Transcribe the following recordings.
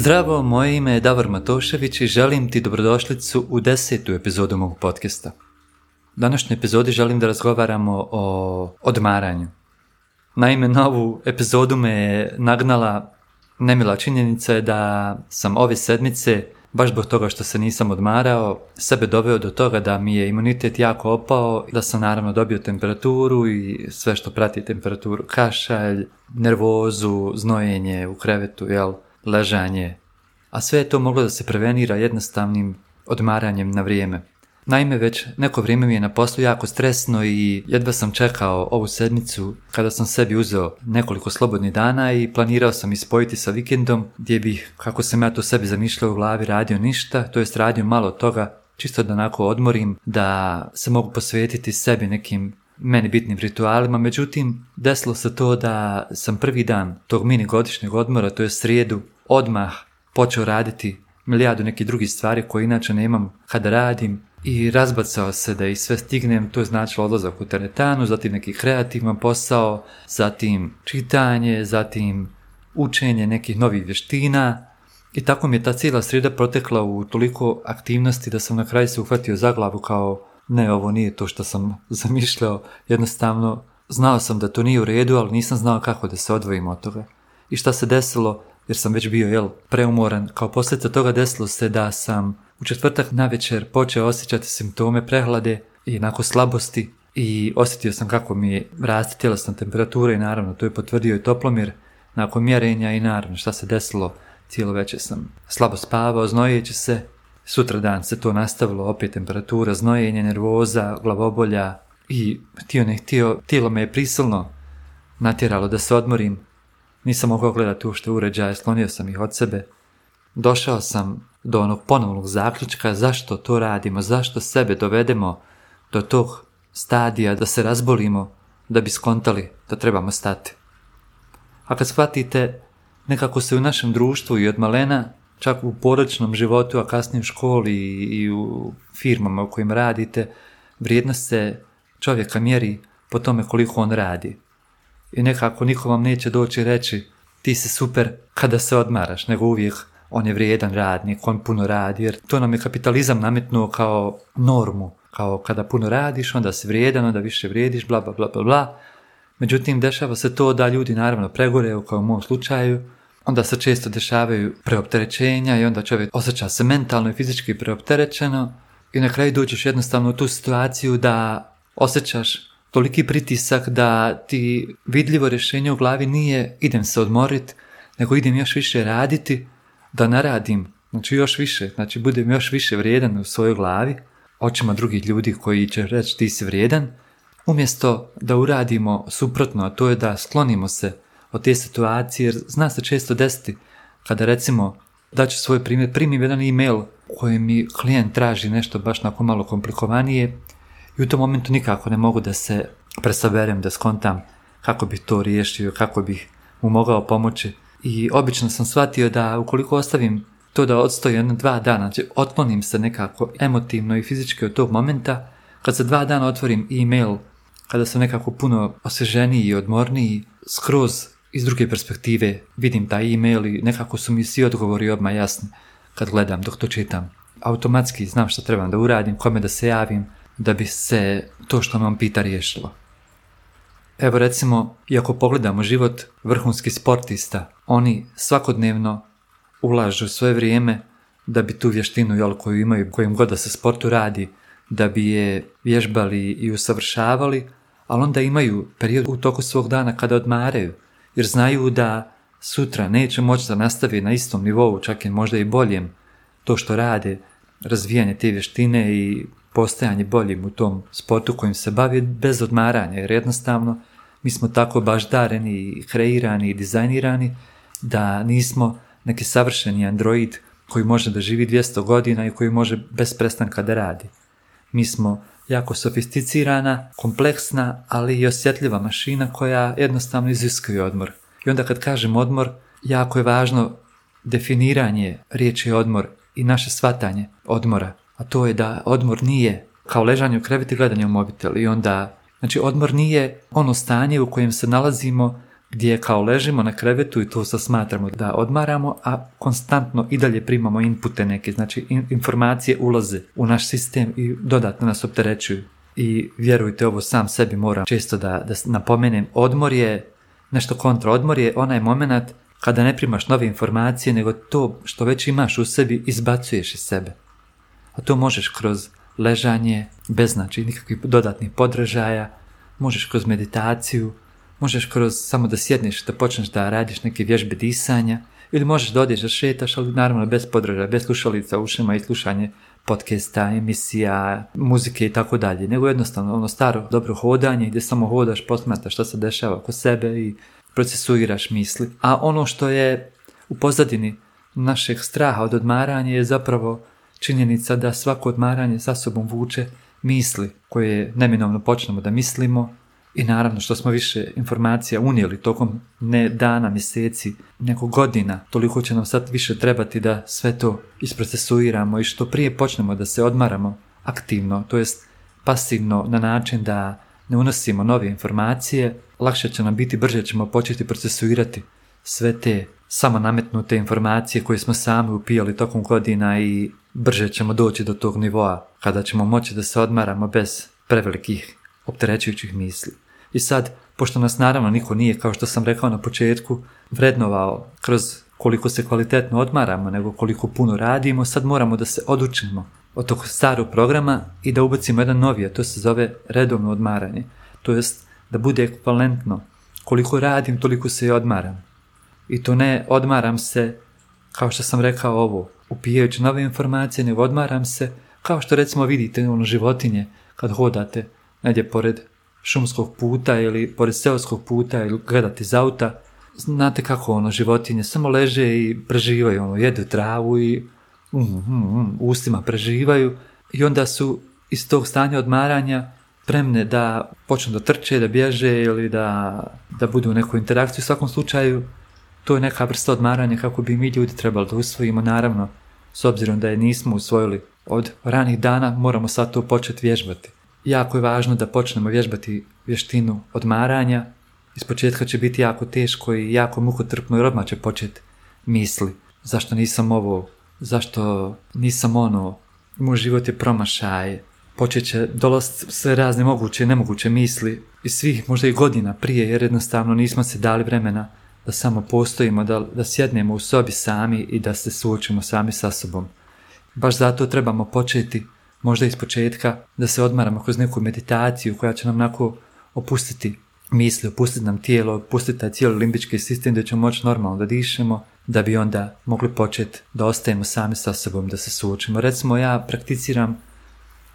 Zdravo, moje ime je Davor Matošević i želim ti dobrodošlicu u 10. epizodu mog podcasta. U današnjoj epizodi želim da razgovaramo o odmaranju. Naime, na ovu epizodu me je nagnala nemila činjenica je da sam ove sedmice, baš zbog toga što se nisam odmarao, sebe doveo do toga da mi je imunitet jako opao, da sam naravno dobio temperaturu i sve što prati temperaturu, kašalj, nervozu, znojenje u krevetu, ležanje. A sve je to moglo da se prevenira jednostavnim odmaranjem na vrijeme. Naime, već neko vrijeme mi je na poslu jako stresno i jedva sam čekao ovu sedmicu kada sam sebi uzeo nekoliko slobodnih dana i planirao sam ispojiti sa vikendom gdje bih, kako sam ja to sebi zamišljao u glavi, radio ništa, to jest radio malo toga, čisto da onako odmorim, da se mogu posvetiti sebi nekim meni bitnim ritualima. Međutim, desilo se to da sam prvi dan tog mini godišnjeg odmora, to je srijedu, odmah počeo raditi milijardu nekih drugih stvari koje inače nemam kada radim i razbacao se da ih sve stignem. To je značilo odlazak u teretanu, zatim neki kreativan posao, zatim čitanje, zatim učenje nekih novih vještina i tako mi je ta cijela srijeda protekla u toliko aktivnosti da sam na kraju se uhvatio za glavu kao ne, ovo nije to što sam zamišljao, jednostavno znao sam da to nije u redu, ali nisam znao kako da se odvojim od toga. I šta se desilo, jer sam već bio preumoran, kao posljedica toga desilo se da sam u četvrtak navečer počeo osjećati simptome prehlade i onako slabosti i osjetio sam kako mi raste tjelesna temperatura i naravno to je potvrdio i toplomjer nakon mjerenja i naravno šta se desilo, cijelo večer sam slabo spavao, znojeći se, sutra dan se to nastavilo, opet temperatura, znojenje, nervoza, glavobolja i htio ne htio, tijelo me je prisilno natjeralo da se odmorim. Nisam mogao gledati uopšte uređaje, sklonio sam ih od sebe. Došao sam do onog ponovnog zaključka zašto to radimo, zašto sebe dovedemo do tog stadija da se razbolimo da bi skontali da trebamo stati. A kad shvatite, nekako se u našem društvu i od malena, čak u porodičnom životu, a kasnije u školi i u firmama u kojim radite, vrijednost se čovjeka mjeri po tome koliko on radi. I nekako niko vam neće doći reći ti si super kada se odmaraš, nego uvijek on je vrijedan radnik, on puno radi, jer to nam je kapitalizam nametnuo kao normu, kao kada puno radiš, onda si vrijedan, onda više vrijediš, bla, bla, bla, bla, bla. Međutim, dešava se to da ljudi naravno pregoreju, kao u mom slučaju, onda se često dešavaju preopterećenja i onda čovjek osjeća se mentalno i fizički preopterećeno i na kraju dođeš jednostavno u tu situaciju da osjećaš toliki pritisak da ti vidljivo rješenje u glavi nije idem se odmorit, nego idem još više raditi, da naradim, znači još više, znači budem još više vrijedan u svojoj glavi, očima drugih ljudi koji će reći ti si vrijedan, umjesto da uradimo suprotno, a to je da sklonimo se od te situacije, jer zna se često desiti kada recimo, daću svoj primjer, primim jedan e-mail u kojem mi klijent traži nešto baš onako malo komplikovanije i u tom momentu nikako ne mogu da se presaberem, da skontam kako bih to riješio, kako bih mu mogao pomoći. I obično sam shvatio da ukoliko ostavim to da odstoji 1-2 dana, znači otklonim se nekako emotivno i fizički od tog momenta, kad za 2 dana otvorim e-mail, kada sam nekako puno osvježeniji i odmorniji, skroz iz druge perspektive vidim taj e-mail i nekako su mi svi odgovori odmah jasni kad gledam dok to čitam. Automatski znam što trebam da uradim, kome da se javim, da bi se to što me on pita riješilo. Evo recimo, iako pogledamo život vrhunskih sportista, oni svakodnevno ulažu svoje vrijeme da bi tu vještinu koju imaju, kojim god da se sportu radi, da bi je vježbali i usavršavali, ali onda imaju period u toku svog dana kada odmaraju, jer znaju da sutra neće moći da nastavi na istom nivou, čak i možda i boljem, to što rade, razvijanje te vještine i postajanje boljim u tom sportu kojim se bavi bez odmaranja, jer jednostavno mi smo tako baždareni i kreirani i dizajnirani da nismo neki savršeni android koji može da živi 200 godina i koji može bez prestanka da radi. Mi smo jako sofisticirana, kompleksna, ali i osjetljiva mašina koja jednostavno iziskuje odmor. I onda kad kažem odmor, jako je važno definiranje riječi odmor i naše shvatanje odmora. A to je da odmor nije kao ležanje u krevetu i gledanje u mobitel. I onda, znači odmor nije ono stanje u kojem se nalazimo gdje kao ležimo na krevetu i to se smatramo da odmaramo, a konstantno i dalje primamo inpute neke, znači informacije ulaze u naš sistem i dodatno nas opterećuju. I vjerujte, ovo sam sebi moram često da napomenem, odmor je nešto kontra. Odmor je onaj moment kada ne primaš nove informacije, nego to što već imaš u sebi izbacuješ iz sebe. A to možeš kroz ležanje, bez znači nikakvih dodatnih podražaja, možeš kroz meditaciju, možeš kroz samo da sjedneš, da počneš da radiš neke vježbe disanja, ili možeš da odeš da šetaš, ali naravno bez podražaja, bez slušalica u ušima i slušanje podcasta, emisija, muzike i tako dalje, nego jednostavno ono staro dobro hodanje gdje samo hodaš, posmatraš šta se dešava oko sebe i procesuiraš misli. A ono što je u pozadini našeg straha od odmaranja je zapravo činjenica da svako odmaranje sa sobom vuče misli koje neminovno počnemo da mislimo i naravno što smo više informacija unijeli tokom ne dana, mjeseci, nego godina, toliko će nam sad više trebati da sve to isprocesuiramo i što prije počnemo da se odmaramo aktivno, to jest pasivno na način da ne unosimo nove informacije, lakše će nam biti, brže ćemo početi procesuirati sve te samo nametnute informacije koje smo sami upijali tokom godina i brže ćemo doći do tog nivoa kada ćemo moći da se odmaramo bez prevelikih opterećujućih misli. I sad, pošto nas naravno niko nije, kao što sam rekao na početku, vrednovao kroz koliko se kvalitetno odmaramo, nego koliko puno radimo, sad moramo da se odučimo od tog starog programa i da ubacimo jedan novi, a to se zove redovno odmaranje. To jest da bude ekvivalentno. Koliko radim, toliko se i odmaram. I to ne odmaram se, kao što sam rekao ovo, upijajući nove informacije, nego odmaram se, kao što recimo vidite životinje kad hodate negdje pored šumskog puta ili pored seoskog puta ili gledate iz auta, znate kako životinje samo leže i preživaju, jedu travu i ustima preživaju i onda su iz tog stanja odmaranja spremne da počnu da trče, da bježe ili da budu u nekoj interakciji. U svakom slučaju to je neka vrsta odmaranja kako bi mi ljudi trebali da usvojimo, naravno s obzirom da je nismo usvojili od ranih dana, moramo sad to početi vježbati. Jako je važno da počnemo vježbati vještinu odmaranja. Ispočetka će biti jako teško i jako mukotrpno jer odmah će početi misli. Zašto nisam ovo? Zašto nisam ono? Moj život je promašaj. Počet će dolaziti sve razne moguće i nemoguće misli iz svih možda i godina prije jer jednostavno nismo se dali vremena da samo postojimo, da sjednemo u sobi sami i da se suočimo sami sa sobom. Baš zato trebamo početi možda iz početka da se odmaramo kroz neku meditaciju koja će nam onako opustiti misli, opustiti nam tijelo, opustiti taj cijeli limbički sistem da ćemo moći normalno da dišemo, da bi onda mogli početi da ostajemo sami sa sobom, da se suočimo. Recimo ja prakticiram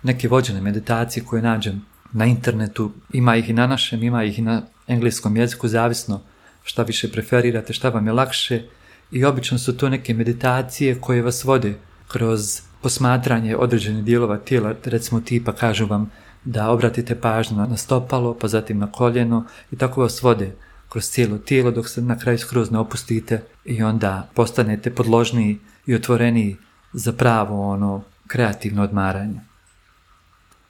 neke vođene meditacije koje nađem na internetu, ima ih i na našem, ima ih i na engleskom jeziku, zavisno šta više preferirate, šta vam je lakše i obično su to neke meditacije koje vas vode kroz posmatranje određenih dijelova tijela, recimo tipa kažu vam da obratite pažnju na stopalo, pa zatim na koljeno i tako vas vode kroz cijelo tijelo dok se na kraju skroz ne opustite i onda postanete podložniji i otvoreniji za pravo kreativno odmaranje.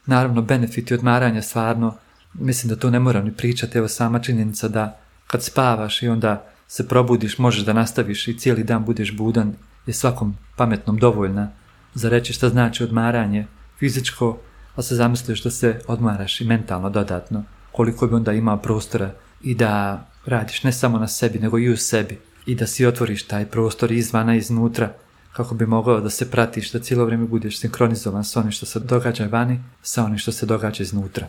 Naravno, benefiti odmaranja stvarno, mislim da to ne moram ni pričati, evo sama činjenica da kad spavaš i onda se probudiš, možeš da nastaviš i cijeli dan budeš budan, je svakom pametnom dovoljna za reći šta znači odmaranje fizičko, a se zamisliš da se odmaraš i mentalno dodatno, koliko bi onda imao prostora i da radiš ne samo na sebi, nego i u sebi i da si otvoriš taj prostor izvana i iznutra kako bi mogao da se pratiš, da cijelo vrijeme budeš sinkronizovan s onim što se događa vani, sa onim što se događa iznutra.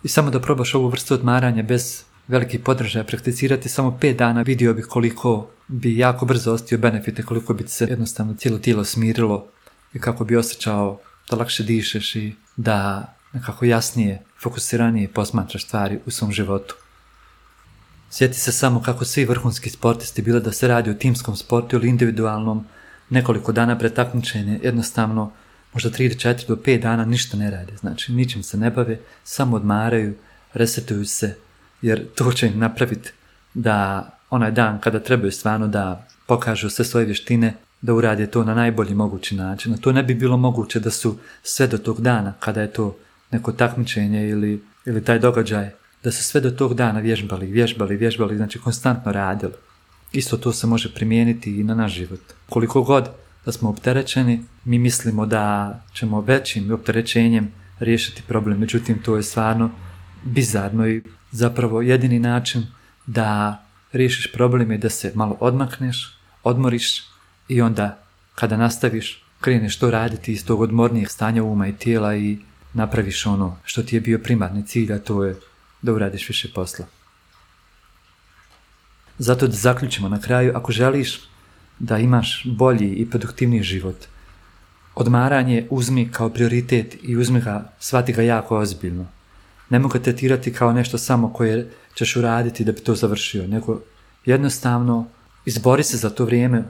I samo da probaš ovu vrstu odmaranja bez velikih podržaja prakticirati samo 5 dana, vidio bih koliko bi jako brzo ostio benefite, koliko bi se jednostavno cijelo tijelo smirilo i kako bi osjećao da lakše dišeš i da nekako jasnije, fokusiranije posmatraš stvari u svom životu. Sjeti se samo kako svi vrhunski sportisti, bilo da se radi o timskom sportu ili individualnom, nekoliko dana pred takmičenje, jednostavno možda 3 do 4 do 5 dana ništa ne rade, znači ničim se ne bave, samo odmaraju, resetuju se, jer to će im napraviti da onaj dan kada trebaju stvarno da pokažu sve svoje vještine, da urade to na najbolji mogući način. A to ne bi bilo moguće da su sve do tog dana, kada je to neko takmičenje ili taj događaj da su sve do tog dana vježbali, znači konstantno radili. Isto to se može primijeniti i na naš život. Koliko god da smo opterećeni, mi mislimo da ćemo većim opterećenjem riješiti problem, međutim to je stvarno bizarno i zapravo jedini način da riješiš problem je da se malo odmakneš, odmoriš i onda kada nastaviš kreneš to raditi iz tog odmornijeg stanja uma i tijela i napraviš ono što ti je bio primarni cilj, a to je da uradiš više posla. Zato da zaključimo na kraju, ako želiš da imaš bolji i produktivniji život, odmaranje uzmi kao prioritet i shvati ga jako ozbiljno. Nemoj ga tretirati kao nešto samo koje ćeš uraditi da bi to završio, nego jednostavno izbori se za to vrijeme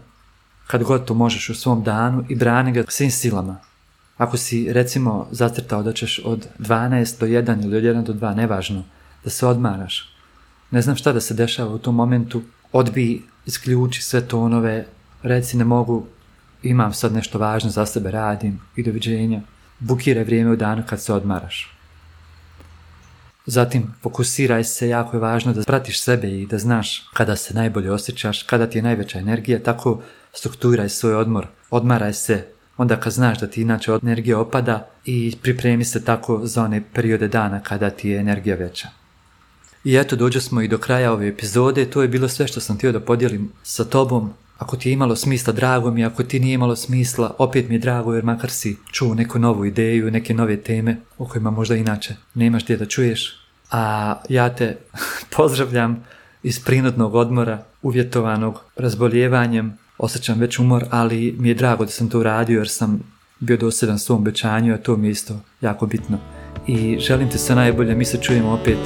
kad god to možeš u svom danu i brani ga svim silama. Ako si recimo zacrtao da ćeš od 12 do 1 ili od 1 do 2, nevažno, da se odmaraš, ne znam šta da se dešava u tom momentu, odbij, isključi sve tonove, reci ne mogu, imam sad nešto važno za sebe, radim i doviđenja, bukiraj vrijeme u danu kad se odmaraš. Zatim fokusiraj se, jako je važno da pratiš sebe i da znaš kada se najbolje osjećaš, kada ti je najveća energija, tako strukturiraj svoj odmor, odmaraj se onda kad znaš da ti inače energija opada i pripremi se tako za one periode dana kada ti je energija veća. I eto, dođe smo i do kraja ove epizode, to je bilo sve što sam htio da podijelim sa tobom. Ako ti je imalo smisla, drago mi, ako ti nije imalo smisla, opet mi je drago jer makar si čuo neku novu ideju, neke nove teme o kojima možda inače nemaš gdje da čuješ. A ja te pozdravljam iz prinudnog odmora, uvjetovanog razboljevanjem, osjećam već umor, ali mi je drago da sam to uradio jer sam bio dosljedan svom obećanju, a to mi je isto jako bitno. I želim ti sve najbolje, mi se čujemo opet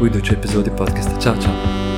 u idućoj epizodi podcasta. Ćao, čao!